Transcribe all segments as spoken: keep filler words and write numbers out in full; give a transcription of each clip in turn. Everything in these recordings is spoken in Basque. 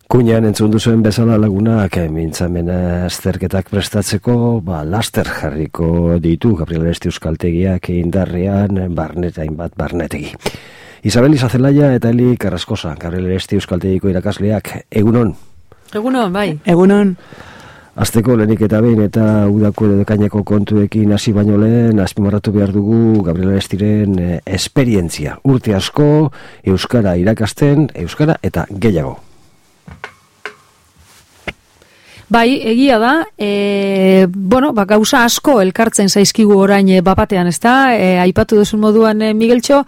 Kuñan entzun duzuen bezala lagunak mintzamen azterketak prestatzeko, ba, laster jarriko ditu Gabriel Aresti euskaltegiak indarrean barnet hainbat barnetegi. Isabel Izazelaia eta Eli Carrascosa, Gabriel Aresti euskaltegiko irakasleak, egunon? Egunon, bai. Egunon. Azteko lehenik eta behin eta udako edo dekaineko kontuekin hasi baino lehen, azpimarratu behar dugu Gabriel Arestiren eh, esperientzia. Urte asko, euskara irakasten, euskara eta gehiago. Bai, egia da, e, bueno, ba, gauza asko elkartzen zaizkigu orain e, bapatean, ez da? E, aipatu duzun moduan, e, Migueltxo,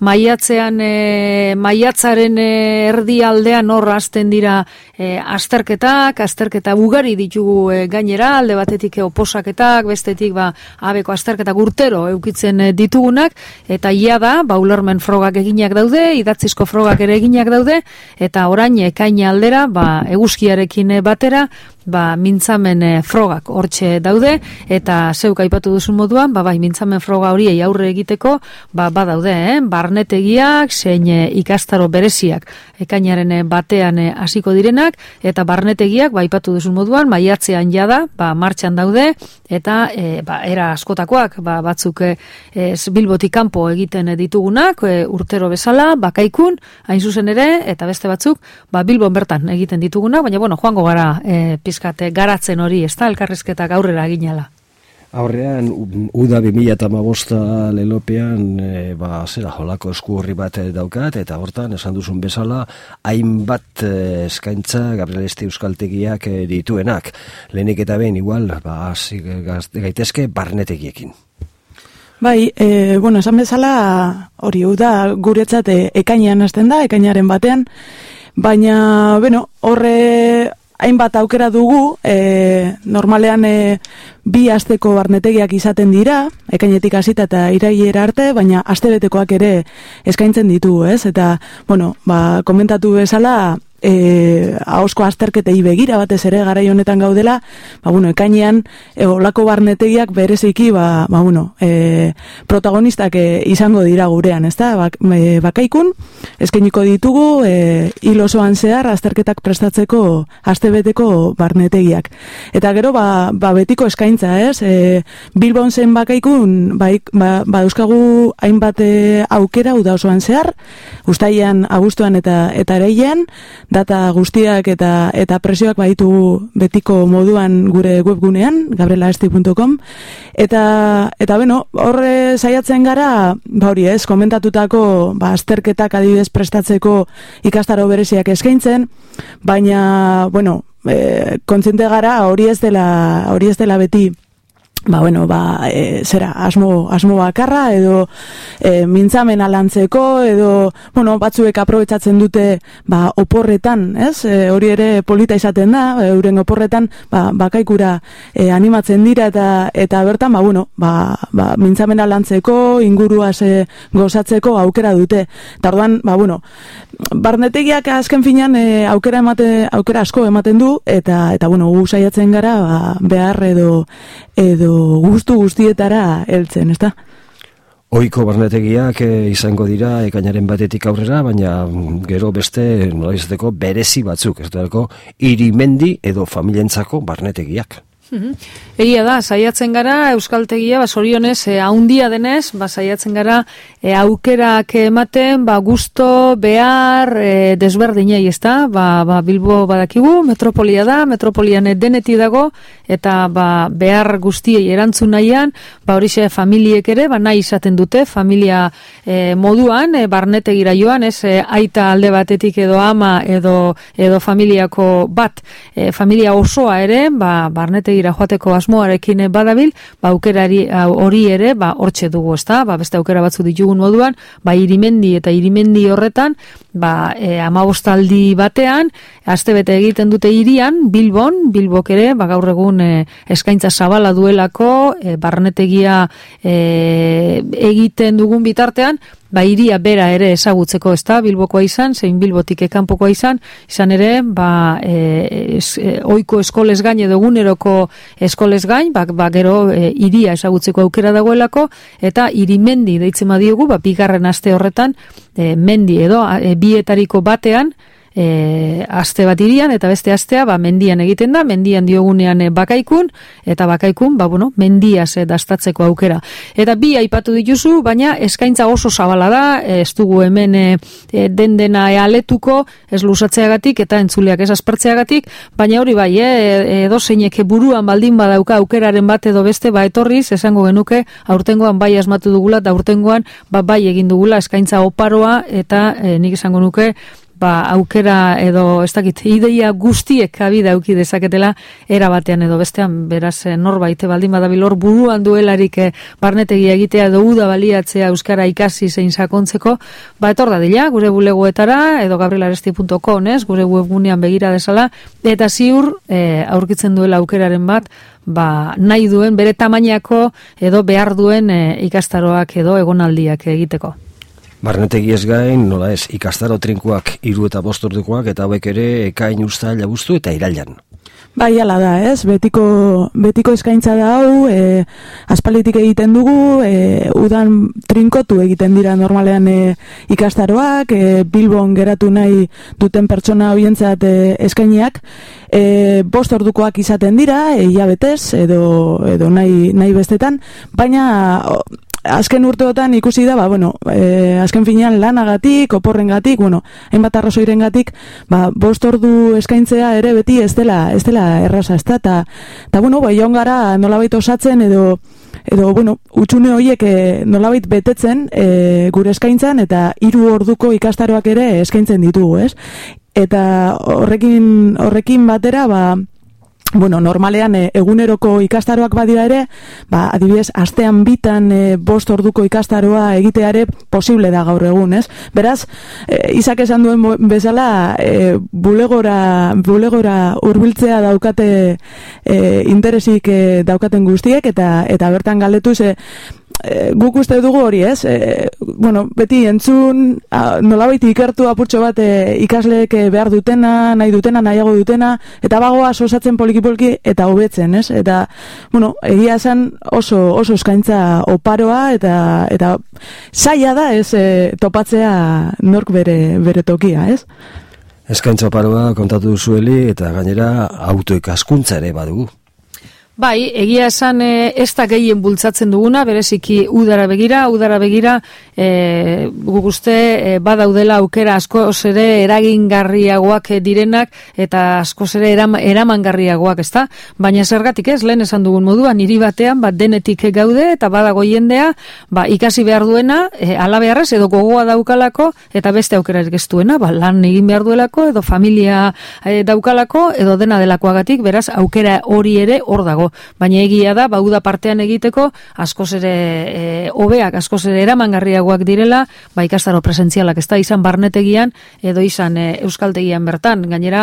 maiatzean, e, maiatzaren e, erdi aldean hor hasten dira e, azterketak, azterketa ugari ditugu e, gainera, alde batetik e, oposaketak, bestetik ba, abeko azterketak urtero eukitzen e, ditugunak, eta ia da, ba, ulermen frogak eginak daude, idatzizko frogak ere eginak daude, eta orain ekaina aldera, ba, eguzkiarekin e, batera, ba, mintzamen e, frogak hortxe daude, eta zeuk aipatu duzun moduan, ba, bai, mintzamen froga horiei aurre egiteko, ba, badaude, eh? Barnetegiak, zein e, ikastaro bereziak, ekainaren e, batean hasiko direnak, eta barnetegiak, ba, aipatu duzun moduan, maiatzean jada, ba, martxan daude, eta, e, ba, era askotakoak, ba, batzuk e, e, Bilbotik kanpo egiten ditugunak, e, urtero bezala, bakaikun, hain zuzen ere, eta beste batzuk, ba, Bilbon bertan egiten ditugunak, baina, bueno, joango gara, e, pizkate garatzen hori, ez da, elkarrizketak aurrera ginala. Aurrean, uda bi mila hamabosta lelopean, e, ba, zera, jolako esku horri bat daukat, eta hortan, esan duzun bezala, hainbat e, eskaintza Gabriel Aresti euskaltegiak e, dituenak. Lehenik eta behin, igual, ba, gaitezke barnetegiekin. Bai, e, bueno, esan bezala, hori, uda guretzat e, ekainean hasten da, ekainaren batean, baina, bueno, horre hainbat aukera dugu, e, normalean e, bi asteko barnetegiak izaten dira, ekainetik hasita eta irailera arte, baina astebetekoak ere eskaintzen ditu, ez? Eta, bueno, ba, komentatu bezala, e, ahosko azterketei begira batez ere garai honetan gaudela, ba, bueno, ekainean, e, olako barnetegiak bereziki, ba, ba, bueno, e, protagonistak e, izango dira gurean, ez da? Bak, e, bakaikun, eskainiko ditugu, e, hil osoan zehar azterketak prestatzeko astebeteko barnetegiak. Eta gero, ba, ba betiko eskaintza, ez? E, Bilbon zen bakaikun, ba, ba, ba euskagu hainbat e, aukera uda osoan zehar, uztailean, abuztuan eta eta ereilean, data guztiak eta eta presioak baditu betiko moduan gure webgunean, gabriel aresti puntu com, eta, eta beno, horre saiatzen gara, ba hori ez, komentatutako ba, azterketak adibidez prestatzeko ikastaro bereziak eskaintzen, baina, bueno, e, kontziente gara hori ez dela, hori ez dela beti, ba, bueno, ba, e, zera, asmo, asmo bakarra, edo e, mintzamen alantzeko, edo, bueno, batzuek aprobetsatzen dute, ba, oporretan, ez? E, hori ere polita izaten da, euren oporretan, ba, bakaikura e, animatzen dira, eta eta bertan, ba, bueno, ba, ba, mintzamen alantzeko, inguruaz e, gozatzeko aukera dute. Eta orduan, ba, bueno, barnetegiak azken finean e, aukera emate, aukera asko ematen du, eta, eta bueno, gu saiatzen gara, ba, behar edo, edo guztu guztietara heltzen, ezta? Ohiko barnetegiak e, izango dira ekainaren batetik aurrera, baina gero beste nolaizateko berezi batzuk, ez dago irimendi edo familientzako barnetegiak. Egia da, saiatzen gara euskaltegia, ba, sorionez, e, haundia denez, ba, saiatzen gara e, aukerak ematen, ba, gusto, behar, e, desberdinei, ez da? Ba, ba, Bilbo badakigu, metropolia da, metropolian deneti dago, eta ba, behar guztiei erantzun nahian, ba, horixe familiek ere, ba, nahi izaten dute, familia e, moduan, e, barnetegira joan, ez, e, aita alde batetik edo ama, edo, edo familiako bat, e, familia osoa ere, ba, barnetegira joateko asmoarekin badabil, ba, aukerari hori ere, ba, hortxe dugu, ezta? Ba, beste aukera batzu ditugun moduan, ba, irimendi eta irimendi horretan, ba, e, amabostaldi batean, astebete egiten dute hirian, Bilbon, Bilbok ere, ba, gaur egun e, eskaintza zabala duelako, e, barnetegia e, egiten dugun bitartean, ba, iria bera ere ezagutzeko, ez da, Bilbokoa izan, zein Bilbotik ekanpokoa izan, izan ere, ba, e, es, e, oiko eskolez gain edo eguneroko eskolez gain, ba, ba gero e, iria ezagutzeko aukera dagoelako, eta irimendi deitzen badiogu, ba, bigarren aste horretan, e, mendi edo, e, bietariko batean, e, aste bat irian, eta beste astea ba, mendian egiten da, mendian diogunean e, bakaikun, eta bakaikun, ba, bueno, mendiaz e, dastatzeko aukera. Eta bi aipatu dituzu, baina eskaintza oso zabala da, ez dugu hemen e, e, den dena e, aletuko, ez lusatzeagatik eta entzuleak ez aspertzeagatik, baina hori bai, e, edo zeinek buruan baldin badauka aukeraren bat edo beste, ba etorriz, esango genuke, aurtengoan bai asmatu dugula, eta aurtengoan ba, bai egin dugula eskaintza oparoa, eta e, nik esango nuke, ba, aukera edo, ez dakit, ideia guztiek kabida auki dezaketela era batean edo bestean, beraz norbait baldin badabil hor buruan duelarik eh, barnetegia egitea edo uda baliatzea euskara ikasi zein sakontzeko, ba etor dadila gure bulegoetara edo gabrielaresti punto com, ez, gure webgunean begira desala, eta ziur eh, aurkitzen duela aukeraren bat, ba, nahi duen, bere tamainako edo behar duen eh, ikastaroak edo egonaldiak egiteko. Barnetegi ez gain, nola ez, ikastaro trinkoak hiru eta bost ordukoak, eta hauek ere ekain, uztail, abuztu eta irailan. Bai, ala da, ez, betiko, betiko eskaintza da hau, e, aspalditik egiten dugu, e, udan trinkotu egiten dira normalean e, ikastaroak, e, Bilbon geratu nahi duten pertsona horientzat e, eskainiak, e, bost ordukoak izaten dira, e, hilabetez, edo, edo nahi, nahi bestetan, baina o, azken urteotan ikusi da, ba, bueno, e, azken finean lanagatik, oporrengatik, bueno, hainbat arrazoirengatik, ba, bost ordu eskaintzea ere beti ez dela, ez dela erraza, ez da, eta, eta, bueno, ba, joan gara nolabait osatzen edo, edo, bueno, utxune horiek e, nolabait betetzen e, gure eskaintzan, eta hiru orduko ikastaroak ere eskaintzen ditugu, ez? Eta horrekin, horrekin batera, ba, bueno, normalean e, eguneroko ikastaroak badira ere, ba, adibidez, astean bitan e, bost orduko ikastaroa egitea ere posible da gaur egun, ez? Beraz, e, Isak esan duen bezala, e, bulegora, bulegora hurbiltzea daukate e, interesik e, daukaten guztiek, eta, eta bertan galdetuz, e, E, guk uste dugu hori, ez? E, bueno, beti entzun, a, nolabait ikertu apurtxo bat e, ikasleek behar dutena, nahi dutena, nahiago dutena, eta bagoa osatzen poliki-poliki eta hobetzen, ez? Eta, bueno, egia esan oso, oso eskaintza oparoa, eta, eta zaila da, ez, e, topatzea nork bere, bere tokia, ez? Eskaintza oparoa kontatu duzueli, eta gainera autoikaskuntza ere badugu. Bai, egia esan e, ez da gehien bultzatzen duguna, bereziki udara begira, udara begira e, guk uste e, badaudela aukera askoz ere eragingarriagoak direnak eta askoz ere eram, eramangarriagoak, ezta? Baina zergatik ez, lehen esan dugun moduan, hiri batean bat denetik gaude eta badago jendea, ba, ikasi behar duena, e, ala beharrez edo gogoa daukalako eta beste aukerarik ez duena, ba, lan egin behar duelako edo familia e, daukalako edo dena delakoagatik, beraz aukera hori ere hor dago. Baina egia da, ba, uda partean egiteko, askoz ere e, hobeak, askoz ere eramangarriagoak direla, ba, ikastaro presentzialak, ez da, izan barnetegian, edo izan e, euskaltegian bertan. Gainera,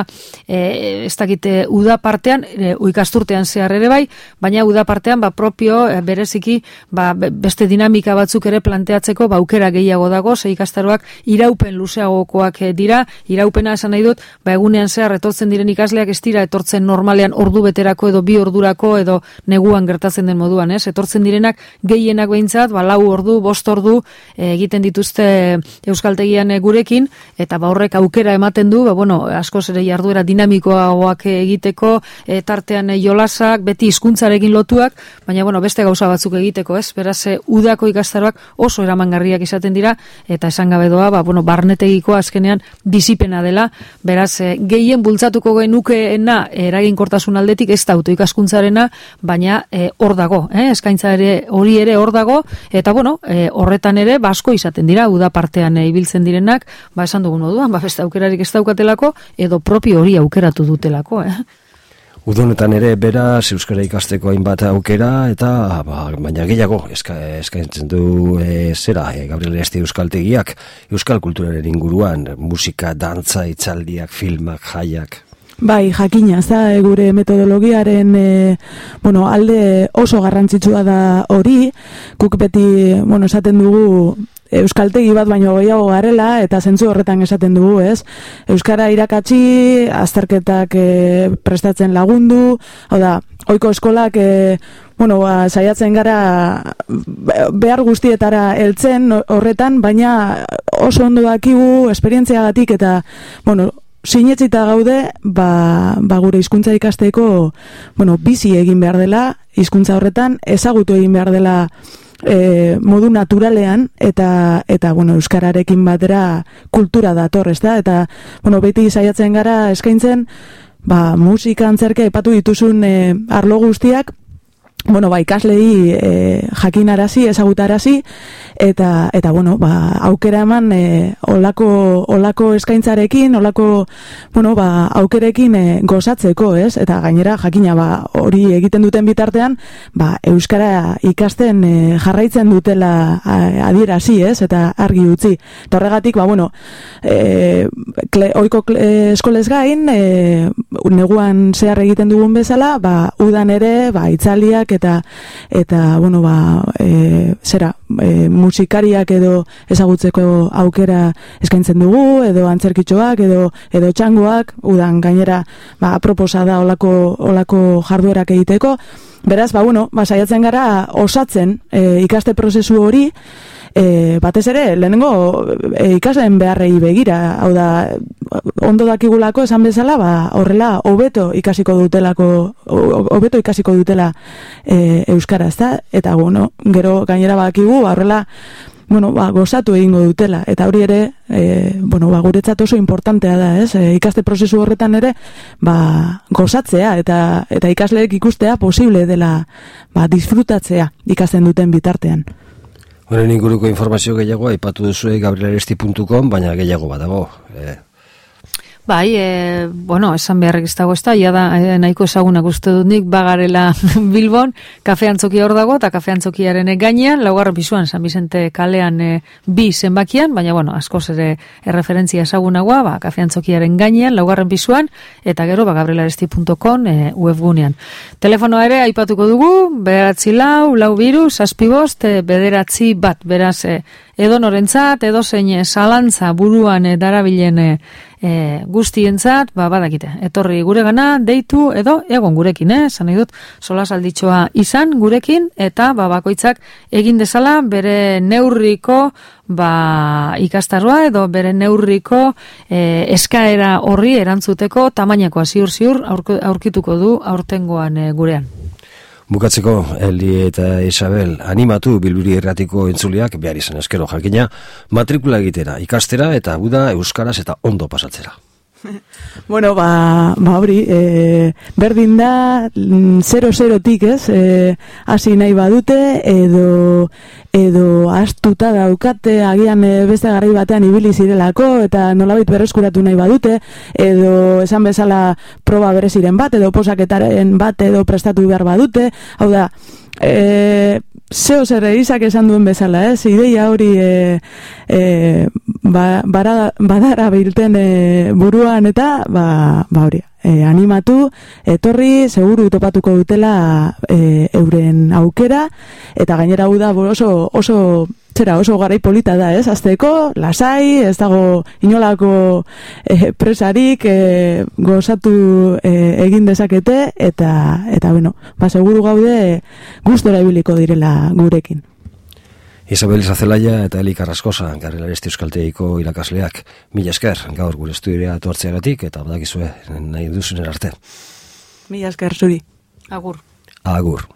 e, ez dakite, uda partean, e, ikasturtean zehar ere bai, baina uda partean, ba, propio, e, bereziki, ba, beste dinamika batzuk ere planteatzeko, ba, aukera gehiago dago, ze ikastaroak iraupen luzeagokoak e, dira, iraupena esan nahi dut, ba, egunean zehar etortzen diren ikasleak ez dira etortzen normalean ordu beterako edo bi ordurako edo neguan gertatzen den moduan, ez? Etortzen direnak gehienak behintzat, ba, lau ordu, bost ordu e, egiten dituzte euskaltegian e, gurekin, eta ba, horrek aukera ematen du, ba, bueno, askoz ere jarduera dinamikoagoak egiteko, e, tartean e, jolasak, beti hizkuntzarekin lotuak, baina, bueno, beste gauza batzuk egiteko, ez? Beraz, e, udako ikastaroak oso eramangarriak izaten dira, eta esan gabe doa, ba, bueno, barnetegiko azkenean disipena dela, beraz, e, gehien bultzatuko genukeena eraginkortasun aldetik ez da autoikaskuntzarena, baina e, hor dago, eh? Eskaintza ere hori ere hor dago, eta bueno, e, horretan ere basko izaten dira, uda partean e, ibiltzen direnak, ba esan dugun moduan, ba beste aukerarik ez daukatelako, edo propio hori aukeratu dutelako, eh? Udonetan ere beraz euskara ikasteko hainbat aukera, eta ba, baina gehiago eska, eskaintzen du e, zera, e, Gabrielaresti euskaltegiak, euskal kulturaren inguruan, musika, dantza, hitzaldiak, filmak, jaiak. Bai, jakina, ez da, gure metodologiaren e, bueno, alde oso garrantzitsua da hori, guk beti, bueno, esaten dugu euskaltegi bat baino gehiago garela, eta zentzu horretan esaten dugu, ez? Euskara irakatsi, azterketak e, prestatzen lagundu, hau da, ohiko eskolak e, bueno, ba, saiatzen gara behar guztietara heltzen horretan, baina oso ondo dakigu esperientziagatik eta, bueno, sinetsita gaude, ba, ba gure hizkuntza ikasteko, bueno, bizi egin behar dela, hizkuntza horretan, ezagutu egin behar dela e, modu naturalean, eta, eta bueno, euskararekin batera kultura dator, ezta? Eta, bueno, beti saiatzen gara eskaintzen, ba, musika antzerke epatu dituzun e, arlo guztiak, bueno, ba, ikaslei e, jakinarazi, ezagutarazi, eta, eta bueno, ba, aukera eman e, olako, olako eskaintzarekin, olako, bueno, ba, aukerekin e, gozatzeko, ez? Eta gainera, jakina, ba, hori egiten duten bitartean, ba, euskara ikasten e, jarraitzen dutela a, adierazi, ez? Eta argi utzi. Eta horregatik, ba, bueno, e, kle, oiko kle, eskolez gain, e, neguan zehar egiten dugun bezala, ba, udan ere, ba, itzaliak, eta eta bueno ba e, zera e, musikariak edo ezagutzeko aukera eskaintzen dugu edo antzerkitxoak edo edo txangoak udan gainera ba proposa da olako olako jarduerak egiteko. Beraz ba bueno ba saiatzen gara osatzen e, ikaste prozesu hori. E, batez ere, lehenengo e, ikasleen beharrei begira, hau da, ondo dakigulako esan bezala, ba, horrela, hobeto ikasiko dutelako, hobeto ikasiko dutela e, euskara, ezta? Eta, bueno, gero gainera bakigu, horrela, bueno, ba, gozatu egingo dutela, eta hori ere, e, bueno, ba, guretzat oso importantea da, ez? E, ikaste prozesu horretan ere, ba, gozatzea, eta, eta ikasleek ikustea posible dela, ba, disfrutatzea ikasten duten bitartean. Honen inguruko informazio gehiago aipatu duzue gabriel-aresti puntu com, baina gehiago badago. Eh. Bai, e, bueno, esan beharrik ez dago ez da, ia da, e, nahiko ezagunak uste dut nik, bagarela Bilbon, kafe antzokia hor dago, eta kafe antzokiaren gainean, laugarren pisuan, San Vicente kalean e, bi zenbakian, baina, bueno, askoz ere erreferentzia ezagunagoa, ba, kafe antzokiaren gainean, laugarren pisuan, eta gero, ba, gabriel-aresti puntu com e, webgunean. Telefonoa ere, aipatuko dugu, bederatzi lau, lau biru, zazpi bost, e, bederatzi bat, beraz, e, edo norentzat, edo zein zalantza buruan e, darabilen e, E, guztientzat, ba, badakite, etorri gure gana, deitu, edo egon gurekin, eh? Zan nahi dut, solasalditxoa izan gurekin, eta ba, bakoitzak egin dezala bere neurriko ba, ikastarroa, edo bere neurriko e, eskaera horri erantzuteko tamainakoa ziur-ziur aurkituko du aurtengoan e, gurean. Bukatzeko, Eli eta Isabel, animatu Bilbiri Irratiko entzuleak behar izan eskero jakina, matrikula egitera, ikastera eta guda euskaraz eta ondo pasatzera. Bueno, ba, ba hori, e, berdin da, zero-zerotik, ez, e, hasi nahi badute, edo, edo astuta daukate, agian e, beste garai batean ibili zirelako, eta nolabait berreskuratu nahi badute, edo esan bezala proba bereziren bat, edo posaketaren bat, edo prestatu behar badute, hau da, e, zeo zer izak esan duen bezala, ez, ideia hori e, e, ba, bara, badara bilten e, buruan eta ba, ba hori, e, animatu, etorri, seguru topatuko dutela e, euren aukera, eta gainera hau da oso, oso zera oso garai polita da, ez, azteko, lasai, ez dago inolako e, presarik e, gozatu e, egin dezakete, eta, eta bueno, ba, seguru gaude gustora ibiliko direla gurekin. Isabel Izazelaia eta Eli Carrascosa, Gabriel-Aresti euskaltegiko irakasleak, mila esker gaur gure estudioa etortzeagatik, eta badakizue nahi duzunen arte. Mila esker zuri. Agur. Agur.